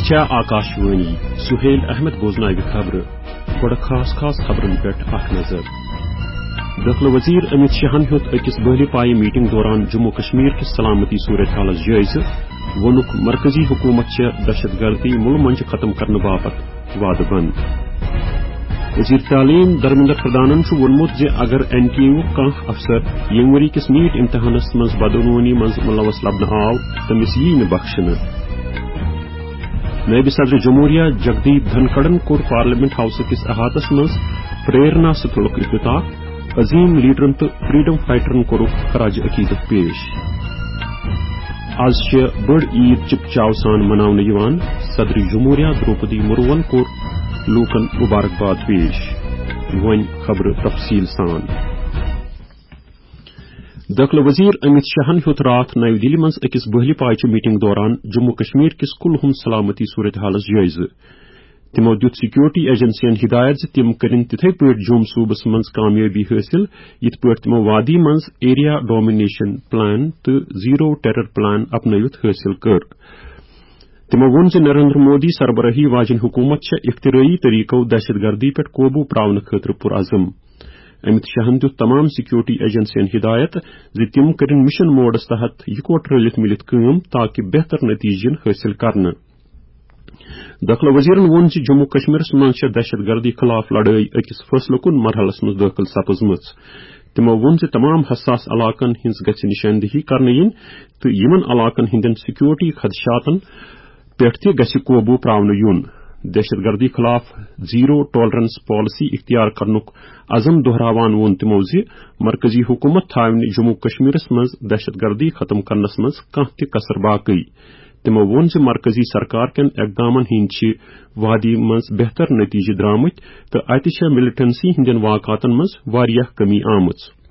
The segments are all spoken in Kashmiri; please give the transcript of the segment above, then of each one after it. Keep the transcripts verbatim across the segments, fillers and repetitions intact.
چھےٚ آکاشوانی۔ سہیل احمد بوزناوِ خبرٕ۔ گۄڈٕ خاص خاص خبرن پٮ۪ٹھ اکھ نظر۔ دٲخلہٕ وزیر امیت شاہن ہیوٚت أکِس بٔہلہِ پایہِ میٹنگ دوران جموں کشمیر کِس سلامتی صورتحالس جٲیزٕ۔ ووٚنُکھ، مرکزی حکومت چھےٚ دہشت گردی مُلہٕ منٛجہِ ختم کرنہٕ باپتھ وعدٕ بنٛد۔ وزیر تعلیم دھرمیندر پردھانن چھُ ووٚنمُت زِ اگر این ٹی اے یُک کانٛہہ افسر ییٚمہِ ؤری کِس نیٹ امتحانس منٛز بدعنوانی منٛز ملوث لبنہٕ آو، تٔمِس ییہِ نہٕ بخشنہٕ۔ نٲیِب صدر جمہوریہ جگدیپ دھنکھڑن کوٚر پارلیمنٹ ہاوسہٕ کِس احاطس منٛز پریرنا ستھلُک افتتاح۔ عظیم لیڈرن تہٕ فریڈم فائٹرن کوٚرُکھ خراج عقیدت پیش۔ از چھِ بٔڑ عید چِپ چاو سان مناونہٕ یِوان۔ صدر جمہوریہ درٛوپدی مرموہن کوٚر لوٗکن مبارکباد پیش۔ وۄنۍ خبرٕ تفصیٖل سان۔ دٲخلہٕ وزیر امیت شاہن ہیوٚت راتھ نَوِ دِلہِ منٛز أکِس بٔہلہِ پایچہِ میٹنگ دوران جموں کشمیر کِس کُلہُم سلامتی صورتحالس جٲیزٕ۔ تِمو دِیُت سیکورٹی ایجنسین ہدایت زِ تِم کٔرِن تِتھے پٲٹھۍ جوٚم صوبس منٛز کامیٲبی حٲصِل، یِتھ پٲٹھۍ تِمو وادی منٛز ایریا ڈومینیشن پلان تہٕ زیرو ٹیرر پلان اپنٲوِتھ حٲصِل کٔر۔ تِمو ووٚن زِ نریندر مودی سربرٲہی واجیٚنۍ حکوٗمت چھےٚ اختراعی طریقو دہشت گردی پٮ۪ٹھ قوبوٗ پراونہٕ خٲطرٕ پُرعزم۔ امت شاہن دِیُت تمام سیکورٹی ایجنسین ہدایت زِ تِم کٔرِن مشن موڈس تحت یکوٹہٕ رلِتھ مِلِتھ کٲم تاکہ بہتر نتیجہٕ یِن حٲصِل کرنہٕ۔ دٲخلہٕ وزیرن ووٚن زِ جموں کشمیرس منٛز چھےٚ دہشت گردی خلاف لڑٲے أکِس فٲصلہٕ کُن مرحلس منٛز دٲخل سپٕزمٕژ۔ تِمو ووٚن زِ تمام حساس علاقن ہٕنٛز گژھِ نشاندہی کرنہٕ یِنۍ تہٕ یِمن علاقن ہٕنٛدٮ۪ن سیکورٹی خدشاتن پٮ۪ٹھ تہِ گژھِ قوبوٗ پراونہٕ یُن۔ دہشت گردی خلاف زیرو ٹالرنس پالیسی اختیار کرنُک عزم دہراوان ووٚن تِمو زِ مرکزی حکومت تھاوِ نہٕ جموں کشمیرس منٛز دہشت گردی ختم کرنس منٛز کانٛہہ تہِ کسر باقی۔ تِمو ووٚن زِ مرکزی سرکار کٮ۪ن اقدامن ہٕنٛدۍ چھِ وادی منٛز بہتر نتیجہٕ درامٕتۍ تہٕ اتہِ چھےٚ ملیٹنسی ہٕنٛدٮ۪ن واقعاتن منٛز واریاہ کمی آمٕژ۔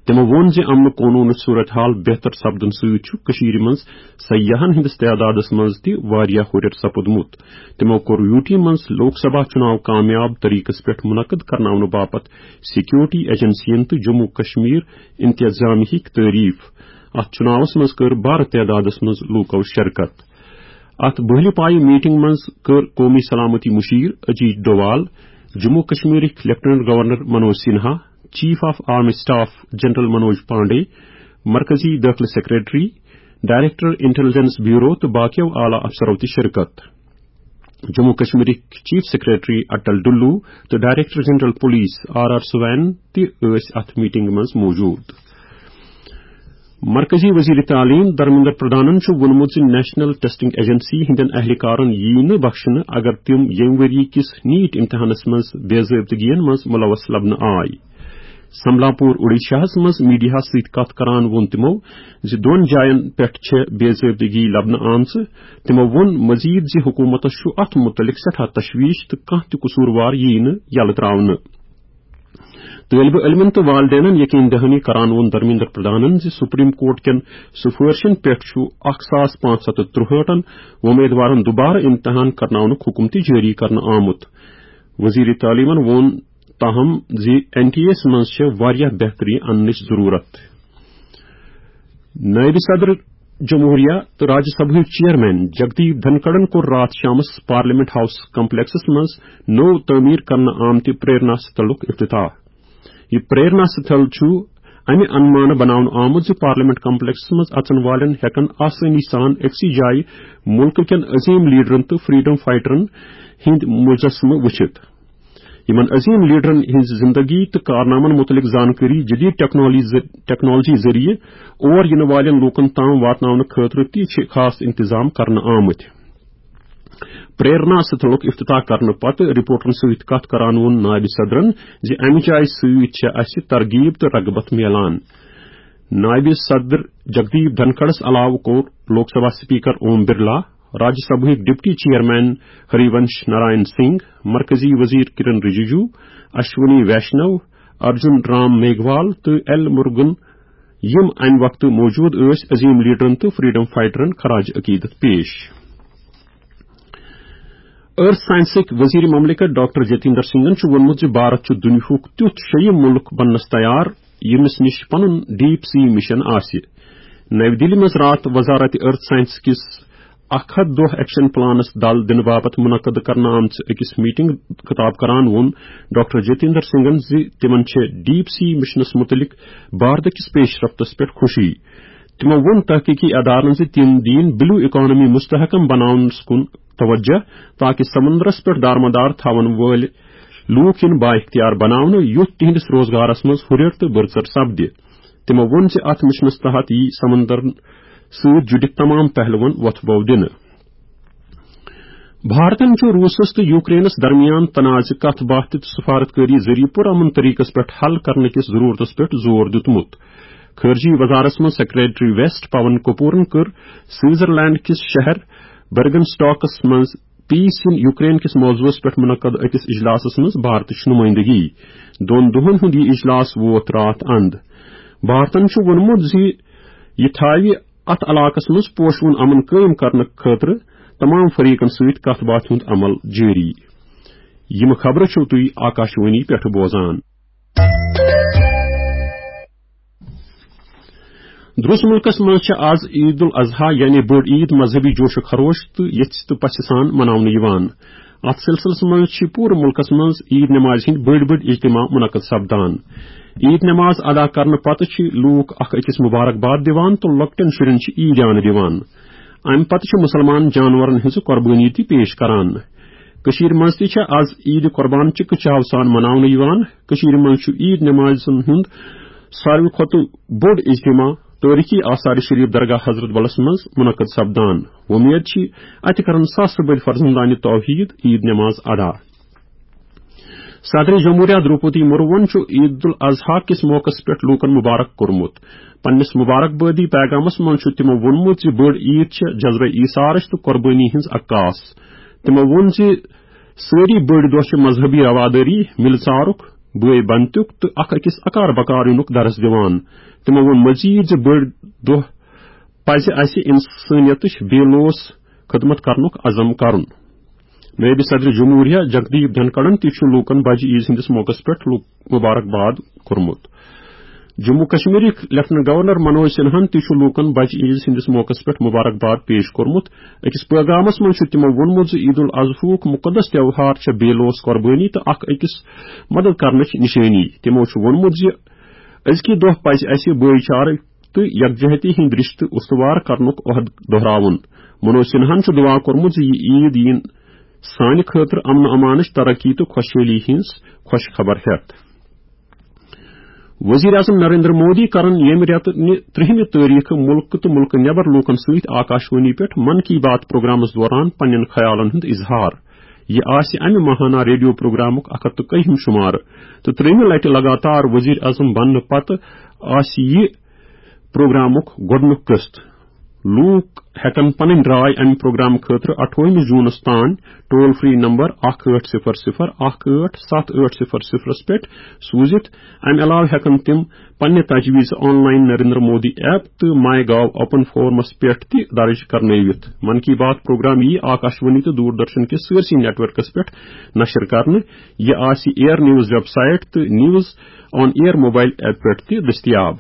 تِمو ووٚن زِ امن قونوٗنٕچ صورتحال بہتر سپدُن سۭتۍ چھُ کٔشیٖرِ منٛز سیاحن ہٕنٛدِس تعدادس منٛز تہِ واریاہ ہُرٮ۪ر سپُدمُت۔ تِمو کوٚر یوٗ ٹی منٛز لوک سبھا چُناو کامیاب طریقس پٮ۪ٹھ منعقد کرناونہٕ باپتھ سیکورٹی ایجنسین تہٕ جموں کشمیر انتظامیہٕکۍ تعریف۔ اتھ چُناوس منٛز کٔر بارٕ تعدادس منٛز لوٗکو شرکت۔ اتھ بٔہلہِ پایہِ میٹنگ منٛز کٔر قومی سلامتی مشیر اجیت ڈووال، جموں کشمیرٕکۍ lieutenant governor Manoj Sinha, chief of army staff general Manoj Pandey, مرکزی دٲخلہٕ سیکرٹری، ڈائریکٹر انٹیلیجنس بیورو تہٕ باقیو اعلیٰ افسرو تہِ شرکت۔ جموں کشمیرٕکۍ چیف سیکرٹری اٹل ڈلو تہٕ director general police R R Swain تہِ ٲسۍ اتھ میٹنگ منٛز موجود۔ مرکزی وزیر تعلیم دھرمیندر پردھانن چھُ ووٚنمُت زِ نیشنل ٹیسٹنگ ایجنسی ہٕنٛدٮ۪ن اہلکارن ییہِ نہٕ بخشنہٕ اگر تِم ییٚمہِ ؤری کِس نیٹ امتحانس منٛز بے ضٲبطگین منٛز ملوث لبنہٕ آے۔ سمبلاپور اوڈیشاہس منٛز میڈیاہس سۭتۍ کتھ کران ووٚن تِمو زِ دۄن جاین پٮ۪ٹھ چھےٚ بے ضٲبطگی لبنہٕ آمژٕ۔ تِمو ووٚن مزید زِ حکومتس چھُ اتھ مُتعلق سٮ۪ٹھاہ تشویش تہٕ کانٛہہ تہِ قصوٗروار ییہِ نہٕ یلہٕ ترٛاونہٕ۔ طٲلبہِ علمن تہٕ والدینن یقین دہانی کران ووٚن دھرمیندر پردھانن زِ سپریم کورٹ کٮ۪ن سفٲرشن پٮ۪ٹھ چھُ اکھ ساس پانٛژھ ہتھ تہٕ ترُہٲٹھن وۄمیدوارن دوبارٕ امتحان کرناونُک حکم تہِ جٲری کرنہٕ آمُت۔ وزیر تعلیمن ووٚن تاہم زِ این ٹی اے یس منٛز چھےٚ واریاہ بہتری اننٕچ ضرورت۔ نٲیِب صدر جمہوریہ تہٕ راجیہ سبھا ہٕکۍ چیئرمین جگدیپ دھنکھڑن کوٚر راتھ شامس پارلیمنٹ ہاؤس کمپلیکسس منٛز نوٚو تعمیٖر کرنہٕ آمتہِ پریرنا ستھلُک افتتاح۔ یہِ پریرنا ستھل چھُ امہِ انمانہٕ بناونہٕ آمُت زِ پارلیمنٹ کمپلیکسس منٛز اژن والٮ۪ن ہٮ۪کن آسٲنی سان أکسٕے جایہِ مُلکہٕ کٮ۪ن عظیم لیڈرن تہٕ فریڈم فائٹرن ہٕنٛدۍ مجسمہٕ وٕچھِتھ۔ یِمن عظیم لیڈرن ہٕنٛز زندگی تہٕ کارنامن مُتعلق زانکٲری جدید ٹیکنالوجی ذٔ-، ٹیکنالوجی ذٔریعہٕ اور یِنہٕ والٮ۪ن لوٗکن تام واتناونہٕ خٲطرٕ تہِ چھِ خاص انتظام کرنہٕ آمٕتۍ۔ پریرنا ستھلُک افتتاح کرنہٕ پتہٕ رپورٹرن سۭتۍ کتھ کران ووٚن نائب صدرن زِ امہِ جایہِ سۭتۍ چھےٚ اسہِ ترغیب تہٕ رغبت میلان۔ نائب صدر جگدیپ دھنکھڑس علاوٕ کوٚر لوک سبھا اسپیکر اوم برلا، راجیہ سبھا ہٕکۍ ڈپٹی چیئرمین ہری ونش نارائن سنگھ، مرکزی وزیر کرن رجیجو، اشونی ویشنو، ارجن رام میگھوال تہٕ ایل مرگن، یِم امہِ وقتہٕ موجود ٲسۍ، عظیم لیڈرن تہٕ فریڈم فائٹرن خراج عقیدت پیش۔ ارتھ سائنسٕکۍ وزیر مملکت ڈاکٹر جتیندر سنگھن چھُ ووٚنمُت زِ بھارت چھُ دُنیاہُک تیُتھ شیٚیِم مُلک بننس تیار، ییٚمِس نِش پنُن ڈیپ سی مشن آسہِ۔ نَوِ دِلہِ منٛز راتھ وزارت ارتھ سائنس کِس اکھ ہتھ دۄہ ایکشن پلانس دل دنہٕ باپتھ منعقد کرنہٕ آمژِ أکِس میٹنگ خطاب کران ووٚن ڈاکٹر جتیندر سنگھن زِ تِمن چھِ ڈیپ سی مشنس مُتعلق بھارت کِس پیش رفتس پٮ۪ٹھ خوشی۔ تِمو ووٚن تحقیقی ادارن زِ تِم دِیِن بلیو اکانومی مستحکم بناونس کُن توجہ، تاکہ سمندرس پٮ۪ٹھ دارمدار تھاون وٲلۍ لوٗکھ یِن بااختیار بناونہٕ، یُتھ تِہنٛدِس روزگارس منٛز ہُرٮ۪ر تہٕ بٔرژر سپدِ۔ تِمو ووٚن زِ اتھ مشنس تحت یی سمندرن سۭتۍ جُڑِتھ تمام پہلوَن وۄتھٕ بو دِنہٕ۔ بھارتن چھُ روٗسس تہٕ یوکرینس درمیان تنازعہٕ کتھ باتھ تہٕ سفارتکٲری ذٔریعہٕ پُرامن طریقس پٮ۪ٹھ حل کرنہٕ کِس ضروٗرتس پٮ۪ٹھ زور دیُتمُت۔ خارجی وزارتس منٛز سیکرٹری ویسٹ پون کپورن کٔر سوئٹزرلینڈ کِس شہر برگن سٹاکس منٛز پیس ان یوکرین کِس موضوعس پٮ۪ٹھ منعقد أکِس اجلاسس منٛز بھارتٕچ نمٲیندگی۔ دۄن دۄہن ہُنٛد یہِ اجلاس ووت راتھ اند۔ بھارتن چھُ ووٚنمُت زِ یہِ تھاوِ اتھ علاقس منٛز پوشوُن امن قٲیِم کرنہٕ خٲطرٕ تمام فریقن سۭتۍ کتھ باتھ ہُنٛد عمل جٲری۔ یِم خبرٕ چھِو تُہۍ آکاشوانی پٮ۪ٹھٕ بوزان۔ درس ملکس منٛز چھِ آز عید الاضحی یعنی بٔڑ عید مذہبی جوش و خروش تہٕ یژھِ تہٕ پژھِ سان مناونہٕ یِوان۔ اتھ سلسلس منٛز چھِ پوٗرٕ ملکس منٛز عید نمازِ ہٕنٛدۍ بٔڑۍ بٔڑۍ اجتماع منعقد سپدان۔ عید نماز ادا کرنہٕ پتہٕ چھِ لوٗکھ اکھ أکِس مبارکباد دِوان تہٕ لۄکٹٮ۪ن شُرٮ۪ن چھِ عیٖدیانہٕ دِوان۔ امہِ پتہٕ چھِ مُسلمان جانورن ہٕنٛز قۄربٲنی تہِ پیش کران۔ کٔشیٖرِ منٛز تہِ چھےٚ از عیٖدِ قۄربان چکہٕ چاو سان مناونہٕ یِوان۔ کٔشیٖرِ منٛز چھُ عیٖد نمازن ہُنٛد ساروی کھۄتہٕ بوٚڑ اجتماع تٲریخی آثار شریف درگاہ حضرت بلس منٛز منعقد سپدان۔ وۄمید چھِ اتہِ کرن ساسہٕ بٔدۍ فرزندانِ توحید عیٖد نماز ادا۔ صدر جمہوریہ دروپدی مرموہن چھُ عید الاضحی کِس موقعس پٮ۪ٹھ لوٗکن مبارک کوٚرمُت۔ پننِس مبارکبادی پیغامس منٛز چھُ تِمو ووٚنمُت زِ بٔڑ عید چھےٚ جذبہ ایثارٕچ تہٕ قۄربٲنی ہٕنٛز عکاس۔ تِمو ووٚن زِ سٲری بٔڑۍ دۄہ چھِ مذہبی روادٲری، مِلژارُک، بٲے بنتُک تہٕ اکھ أکِس اکار بکار یِنُک درس دِوان۔ تِمو ووٚن مزید زِ بٔڑۍ دۄہ پزِ اسہِ انسٲنیتٕچ بے لوث خدمت کرنُک عزم کرُن۔ نٲیِب صدر جمہوریہ جگدیپ دھنکڑن تہِ چھُ لوٗکن بجہِ عیز ہٕنٛدِس موقعس پٮ۪ٹھ لوٗ-، مبارکباد کوٚرمُت۔ جموں کشمیرٕکۍ لیفٹیننٹ گورنر منوج سنہاہن تہِ چھُ لوٗکن بجہِ عیز ہٕنٛدِس موقعس پٮ۪ٹھ مبارکباد پیش کوٚرمُت۔ أکِس پیغامس منٛز چھُ تِمو ووٚنمُت زِ عید الاضحیٰ ہُک مُقدس تہوار چھےٚ بے لوث قۄربٲنی تہٕ اکھ أکِس مدد کرنٕچ نِشٲنی۔ تِمو چھُ ووٚنمُت زِ أزکہِ دۄہ پزِ اسہِ بٲے چارٕ تہٕ یکجہتی ہٕنٛدۍ رشتہٕ استوار کرنُک عہد دۄہراوُن۔ منوج سنہاہن چھُ دعا کوٚرمُت زِ یہِ عید یِن سانہِ خٲطرٕ امن و امانٕچ ترقی تہٕ خۄشحٲلی ہٕنٛز خۄش خبر ہٮ۪تھ۔ وزیر اعظم نریندر مودی کرن ییٚمہِ رٮ۪تہٕ نہِ ترٛہمہِ تٲریخہٕ مُلکہٕ تہٕ مُلکہٕ نٮ۪بر لوٗکن سۭتۍ آکاشوانی پٮ۪ٹھ من کی بات پروگرامس دوران پننٮ۪ن خیالن ہُنٛد اظہار۔ یہِ آسہِ امہِ ماہانہ ریڈیو پروگرامُک اکھ ہتھ تہٕ کٔہِم شمارٕ تہٕ ترٛیٚیِمہِ لٹہِ لگاتار وزیر اعظم بننہٕ پتہٕ آسہِ یہِ پروگرامُک گۄڈٕنیُک قسط۔ لوٗکھ ہٮ۪کن پنٕنۍ راے امہِ پروگرام خٲطرٕ اَٹھووُہمہِ جوٗنس تام ٹول فری نمبر اکھ ٲٹھ صفر صفر اکھ ٲٹھ ستھ ٲٹھ صفر صفرس پٮ۪ٹھ سوٗزِتھ۔ امہِ علاوٕ ہٮ۪کن تِم پننہِ تجویز on line Narendra Modi app تہٕ مائی گاو اوپن فورمس پٮ۪ٹھ تہِ درج کرنٲوِتھ۔ من کی بات پروگرام یی آکاشوانی تہٕ دوردرشن کِس سٲرسٕے نیٹ ورکس پٮ۪ٹھ نشر کرنہٕ۔ یہِ آسہِ ایئر نیوز ویب سائٹ تہٕ news on air mobile app پٮ۪ٹھ تہِ دٔستیاب۔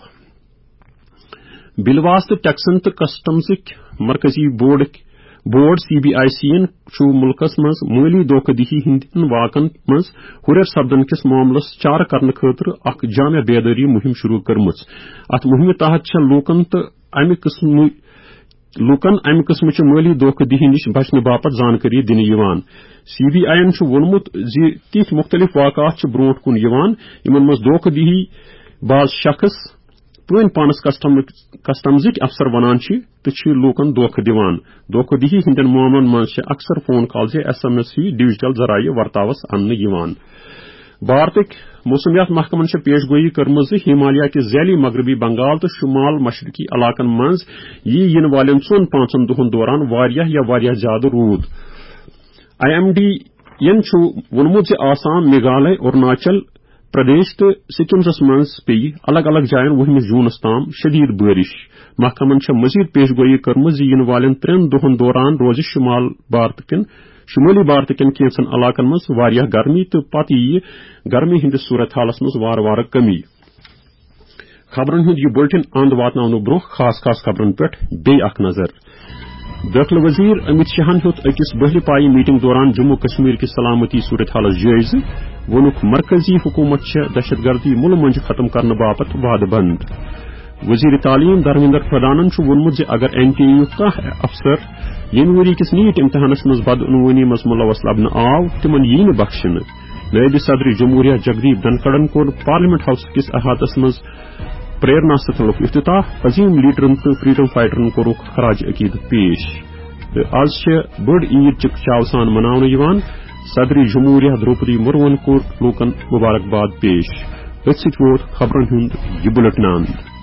بِلواسطہٕ ٹیکسن تہٕ کسٹمزٕکۍ مرکزی بورڈٕکۍ، board C B I C ین چھُ مُلکس منٛز مٲلی دھوکہ دہی ہٕنٛدٮ۪ن واقعن منٛز ہُرٮ۪ر سپدن کِس معاملس چارٕ کرنہٕ خٲطرٕ اکھ جامع بیدٲری مُہِم شروع کٔرمٕژ۔ اتھ مُہِمہِ تحت چھےٚ لوٗکن تہٕ امہِ قٕسمہٕ، لوٗکن امہِ قٕسمٕچہِ مٲلی دھوکہ دہی نِش بچنہٕ باپتھ زانکٲری دِنہٕ یِوان۔ سی بی آئی ین چھُ ووٚنمُت زِ تِتھۍ مُختٔلِف واقعات چھِ برونٛٹھ کُن یِوان، یِمن منٛز دھوکہ دہی باز شخص پٲنۍ پانس کسٹم-، کسٹمزٕکۍ افسر ونان چھِ تہٕ چھِ لوٗکن دھوکہ دِوان۔ دھوکہ دہی ہٕنٛدٮ۪ن معاملن منٛز چھِ اکثر فون کال زِ ایس ایم ایس ہی ڈیجیٹل ذرایع ورتاوس اننہٕ یِوان۔ بھارتٕکۍ موسمیات محکمن چھےٚ پیش گویی کٔرمٕژ زِ ہمالیہ کہِ ذیلی مغربی بنگال تہٕ شمال مشرقی علاقن منٛز یی یِنہٕ والٮ۪ن ژۄن پانٛژن دۄہن دوران واریاہ یا واریاہ زیادٕ روٗد۔ آئی ایم ڈی ین چھُ ووٚنمُت زِ آسام، میگھالے، اروناچل پردیش تہٕ سکمزس منٛز پیٚیہِ الگ الگ جاین وُہمہِ جوٗنس تام شدید بٲرِش۔ محکمن چھےٚ مزید پیش گویی کٔرمٕژ زِ یِنہٕ والٮ۪ن ترٛٮ۪ن دۄہن دوران روزِ شمال بھارت کٮ۪ن، شمٲلی بھارت کٮ۪ن کینٛژن علاقن منٛز واریاہ گرمی تہٕ پتہٕ یِیہِ گرمی ہٕنٛدِس صورت حالس منٛز وارٕ وارٕ کمی۔ خبرن ہُنٛد یہِ بُلٹن اند واتناونہٕ برونٛہہ خاص خاص خبرن پٮ۪ٹھ بیٚیہِ اکھ نظر۔ دٲخلہٕ وزیر امیت شاہن ہیوٚت أکِس بٔہلہِ پایہِ میٹنگ دوران جموں کشمیر کہِ سلامتی صورتحالس جٲیزٕ۔ ووٚنُکھ، مرکزی حکومت چھےٚ دہشت گردی مُلہٕ مۄنٛجہِ ختم کرنہٕ باپتھ وعدٕ بنٛد۔ وزیر تعلیم دھرمیندر پردھانن چھُ ووٚنمُت زِ اگر این ٹی اے یُک کانٛہہ افسر ییٚمہِ ؤری کِس نیٹ امتحانس منٛز بدعنوٲنی منٛز ملوث لبنہٕ آو، تِمن ییہِ نہٕ بخشنہٕ۔ نٲیِب صدر جمہوریہ جگدیپ دھنکڑن کوٚر پارلیمنٹ ہاؤس کِس احاطس منٛز پریرنا ستھلُک افتتاح۔ عظیم لیڈرن تہٕ فریڈم فائٹرن کوٚرُکھ خراج عقیدت پیش۔ تہٕ آز چھِ بٔڑ عید چکچاو سان مناونہٕ یِوان۔ صدر جمہوریہ درٛوپدی مرموہن کوٚر لوٗکن مبارکباد پیش۔ أتھۍ سۭتۍ ووت خبرن ہُنٛد یہِ بُلٹن اند۔